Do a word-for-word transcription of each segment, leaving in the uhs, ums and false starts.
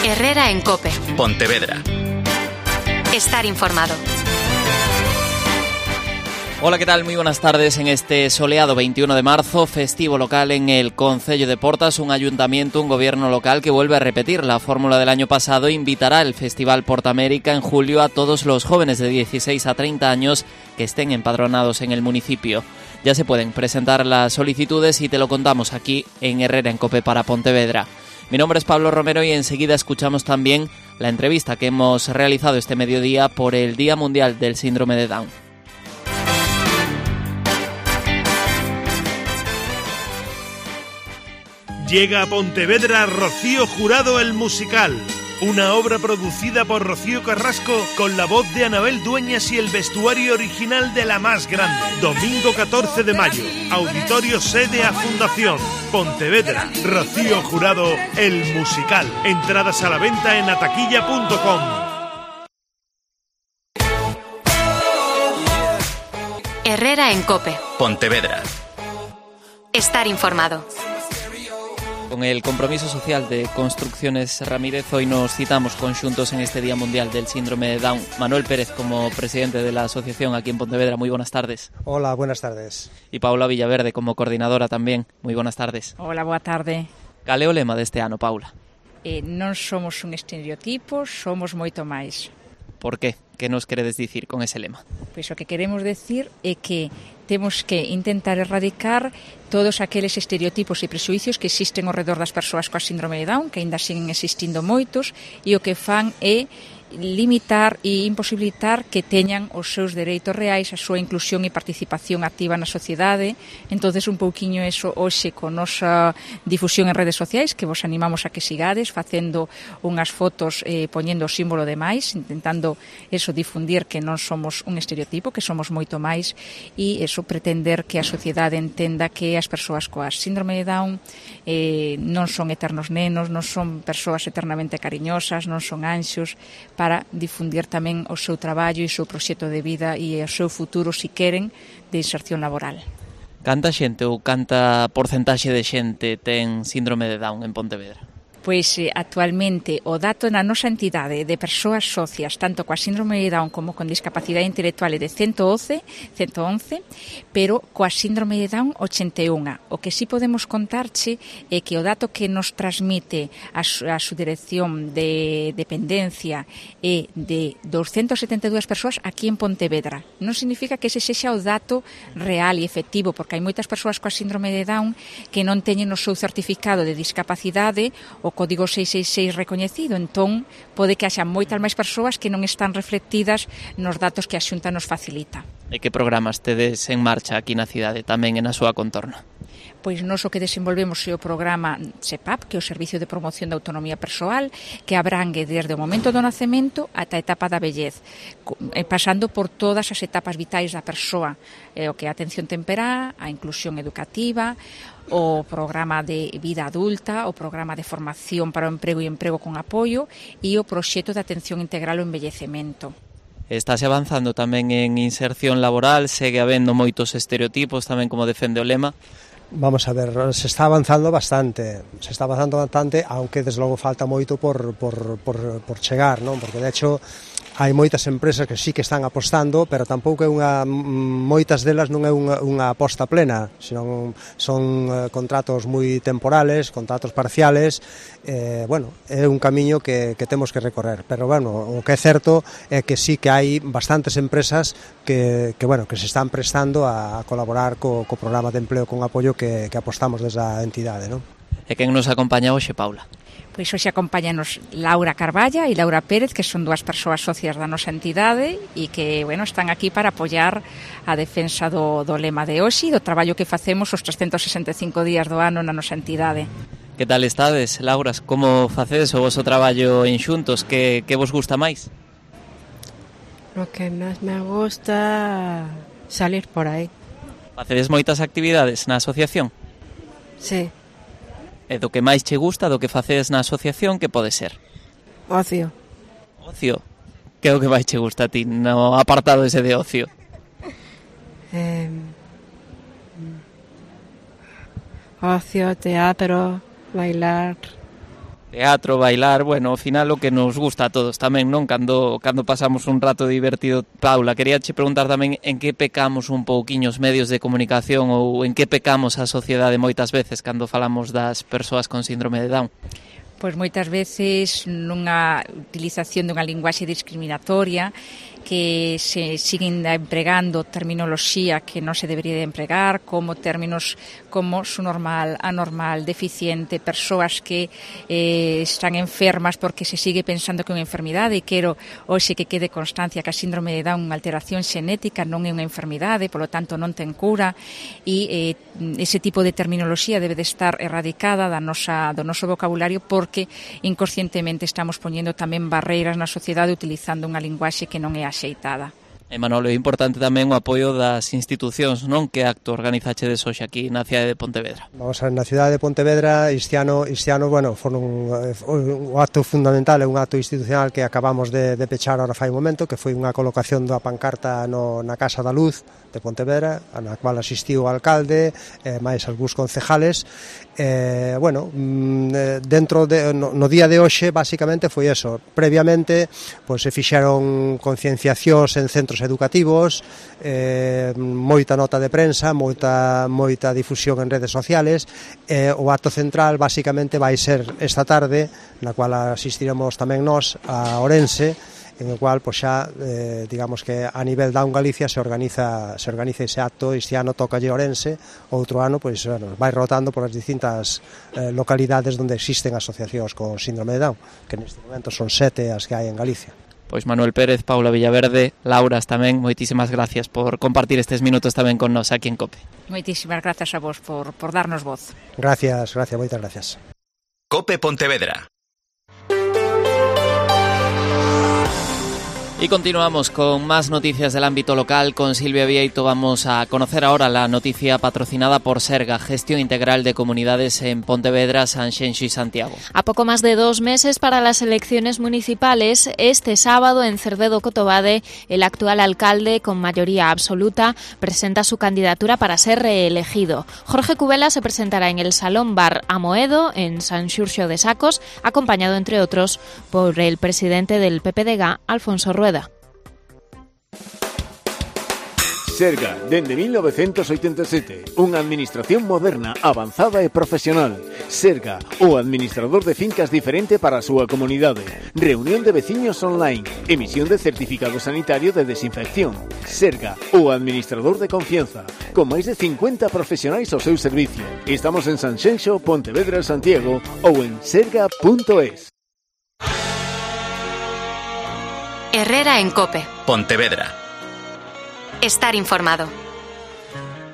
Herrera en COPE. Pontevedra. Estar informado. Hola, ¿qué tal? Muy buenas tardes. En este soleado veintiuno de marzo, festivo local en el Concello de Portas, un ayuntamiento, un gobierno local que vuelve a repetir la fórmula del año pasado. Invitará al Festival Portamérica en julio a todos los jóvenes de dieciséis a treinta años que estén empadronados en el municipio. Ya se pueden presentar las solicitudes y te lo contamos aquí en Herrera en COPE para Pontevedra. Mi nombre es Pablo Romero y enseguida escuchamos también la entrevista que hemos realizado este mediodía por el Día Mundial del Síndrome de Down. Llega a Pontevedra Rocío Jurado el musical, una obra producida por Rocío Carrasco con la voz de Anabel Dueñas y el vestuario original de La Más Grande. Domingo catorce de mayo, Auditorio Sede a Fundación, Pontevedra, Rocío Jurado el musical. Entradas a la venta en ataquilla punto com. Herrera en COPE. Pontevedra. Estar informado. Con el compromiso social de Construcciones Ramírez, hoy nos citamos conxuntos en este Día Mundial del Síndrome de Down. Manuel Pérez, como presidente de la asociación aquí en Pontevedra, muy buenas tardes. Hola, buenas tardes. Y Paula Villaverde, como coordinadora tamén, moi buenas tardes. Hola, boa tarde. Cal é o lema deste ano, Paula? Eh, non somos un estereotipo, somos moito máis. Por qué? Que nos queredes dicir con ese lema? Pois o que queremos decir é que temos que intentar erradicar todos aqueles estereotipos e prexuicios que existen ao redor das persoas coa síndrome de Down, que aínda siguen existindo moitos, e o que fan é limitar e imposibilitar que teñan os seus dereitos reais, a súa inclusión e participación activa na sociedade. Entonces un pouquiño eso hoxe con nosa difusión en redes sociais, que vos animamos a que sigades, facendo unhas fotos eh, poñendo o símbolo de máis, intentando eso difundir que non somos un estereotipo, que somos moito máis, e eso pretender que a sociedade entenda que as persoas coa síndrome de Down eh, non son eternos nenos, non son persoas eternamente cariñosas, non son anxos, para difundir tamén o seu traballo e o seu proxecto de vida e o seu futuro, si queren, de inserción laboral. Canta xente ou canta porcentaxe de xente ten síndrome de Down en Pontevedra? Pois eh, actualmente o dato na nosa entidade de persoas socias, tanto coa síndrome de Down como con discapacidade intelectual é de ciento once, pero coa síndrome de Down ochenta e un. O que sí podemos contarche é que o dato que nos transmite a su, a su dirección de dependencia é de doscientas setenta e dúas persoas aquí en Pontevedra. Non significa que ese sexa o dato real e efectivo, porque hai moitas persoas coa síndrome de Down que non teñen o seu certificado de discapacidade o código seiscentos sesenta e seis recoñecido, entón pode que haxa moitas máis persoas que non están reflectidas nos datos que a Xunta nos facilita. E que programas tedes en marcha aquí na cidade, tamén en a súa contorna? Pois nós o que desenvolvemos é o programa SEPAP, que é o Servicio de Promoción da Autonomía Persoal, que abrangue desde o momento do nacemento ata a etapa da vellez, pasando por todas as etapas vitais da persoa, o que é a atención temperá, a inclusión educativa, o programa de vida adulta, o programa de formación para o emprego e emprego con apoio e o proxecto de atención integral ao envellecemento. Estás avanzando tamén en inserción laboral, segue habendo moitos estereotipos, tamén como defende o lema. Vamos a ver, se está avanzando bastante, se está avanzando bastante, aunque desde logo falta moito por, por, por, por chegar, non? Porque de hecho hai moitas empresas que sí que están apostando, pero tampouco é unha, moitas delas non é unha, unha aposta plena, senón son eh, contratos moi temporales, contratos parciales, eh, bueno, é un camiño que, que temos que recorrer, pero bueno, o que é certo é que sí que hai bastantes empresas que, que bueno, que se están prestando a, a colaborar co, co programa de empleo con apoio que, que apostamos desde a entidade, non? E quen nos acompaña hoxe, Paula? Pois hoxe acompáñanos Laura Carballa e Laura Pérez, que son dúas persoas socias da nosa entidade e que, bueno, están aquí para apoiar a defensa do, do lema de hoxe e do traballo que facemos os trescentos sesenta e cinco días do ano na nosa entidade. Que tal estades, Lauras? Como facedes o vosso traballo en xuntos? Que, que vos gusta máis? Lo que máis me gusta salir por aí. Facedes moitas actividades na asociación? Sí. E do que máis che gusta, do que facedes na asociación, que pode ser? Ocio. Ocio? Que é o que máis che gusta a ti no apartado ese de ocio? Eh, ocio, teatro, bailar. Teatro, bailar, bueno, ao final o que nos gusta a todos tamén, non? Cando, cando pasamos un rato divertido. Paula, quería che preguntar tamén en que pecamos un pouquiño os medios de comunicación ou en que pecamos a sociedade moitas veces cando falamos das persoas con síndrome de Down. Pois moitas veces nunha utilización dunha linguaxe discriminatoria que se siguen empregando terminoloxía que non se debería de empregar, como términos como su normal, anormal, deficiente, persoas que eh, están enfermas porque se sigue pensando que é unha enfermidade, e quero hoxe que quede constancia que a síndrome de Down é unha alteración xenética, non é unha enfermidade, polo tanto non ten cura, e eh, ese tipo de terminoloxía debe de estar erradicada da nosa, do noso vocabulario, porque inconscientemente estamos poñendo tamén barreiras na sociedade utilizando unha linguaxe que non é axeitada. E Manolo, é importante tamén o apoio das institucións, non? Que acto organizachedes hoxe aquí na cidade de Pontevedra? Vamos a ver, na cidade de Pontevedra este ano, este ano bueno, foi un, un acto fundamental, é un acto institucional que acabamos de, de pechar ahora fai un momento, que foi unha colocación da pancarta no, na Casa da Luz de Pontevedra, na cual asistiu o alcalde, eh, máis algúns concejales. Eh, bueno, dentro de, no, no día de hoxe basicamente foi eso. Previamente pois, se fixeron concienciacións en centros educativos, eh, moita nota de prensa, moita, moita difusión en redes sociales. Eh, o acto central basicamente vai ser esta tarde, na cual asistiremos tamén nós a Ourense, en o cual pois xa eh, digamos que a nivel Down Galicia se organiza se organiza ese acto. Este ano toca lle Ourense, outro ano pois bueno, vai rotando por as distintas eh, localidades onde existen asociacións con síndrome de Down, que neste momento son sete as que hai en Galicia. Pois Manuel Pérez, Paula Villaverde, Lauras tamén, moitísimas gracias por compartir estes minutos tamén con nós aquí en COPE. Moitísimas gracias a vos por, por darnos voz. Gracias, gracias, moitas gracias. COPE Pontevedra. Y continuamos con más noticias del ámbito local. Con Silvia Vieito vamos a conocer ahora la noticia patrocinada por Serga, Gestión Integral de Comunidades en Pontevedra, Sanxenxo y Santiago. A poco más de dos meses para las elecciones municipales, este sábado en Cerdedo Cotobade, el actual alcalde, con mayoría absoluta, presenta su candidatura para ser reelegido. Jorge Cubela se presentará en el Salón Bar Amoedo, en San Xurxo de Sacos, acompañado, entre otros, por el presidente del P P D G, Alfonso Rueda. Serga, dende mil novecientos oitenta e sete, unha administración moderna, avanzada e profesional. Serga, o administrador de fincas diferente para a súa comunidade. Reunión de veciños online, emisión de certificado sanitario de desinfección. Serga, o administrador de confianza, con máis de cincuenta profesionais ao seu servicio. Estamos en Sanxenxo, Pontevedra, Santiago ou en serga punto es. Herrera en COPE. Pontevedra. Estar informado.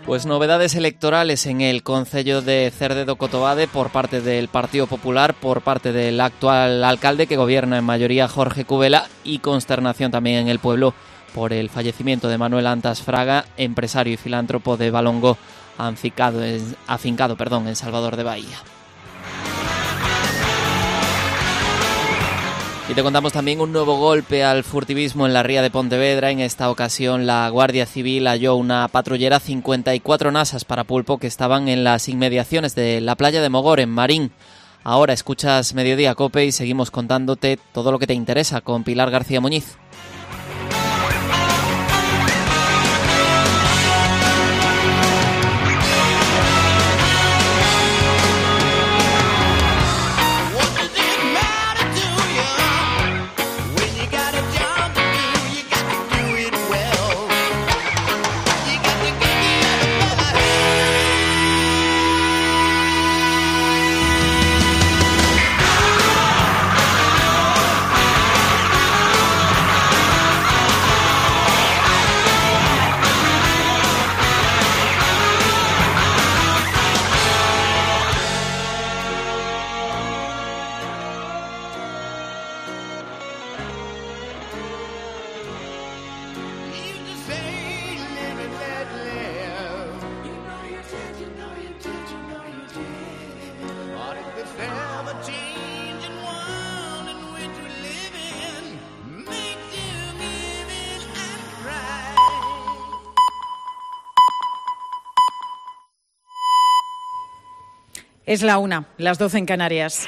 Pues novedades electorales en el concello de Cerdedo Cotobade por parte del Partido Popular, por parte del actual alcalde que gobierna en mayoría, Jorge Cubela, y consternación también en el pueblo por el fallecimiento de Manuel Antas Fraga, empresario y filántropo de Valongo, afincado en, afincado, perdón, en Salvador de Bahía. Y te contamos también un nuevo golpe al furtivismo en la ría de Pontevedra. En esta ocasión la Guardia Civil halló una patrullera cincuenta y cuatro nasas para pulpo que estaban en las inmediaciones de la playa de Mogor, en Marín. Ahora escuchas Mediodía COPE y seguimos contándote todo lo que te interesa con Pilar García Muñiz. Es la una, las doce en Canarias.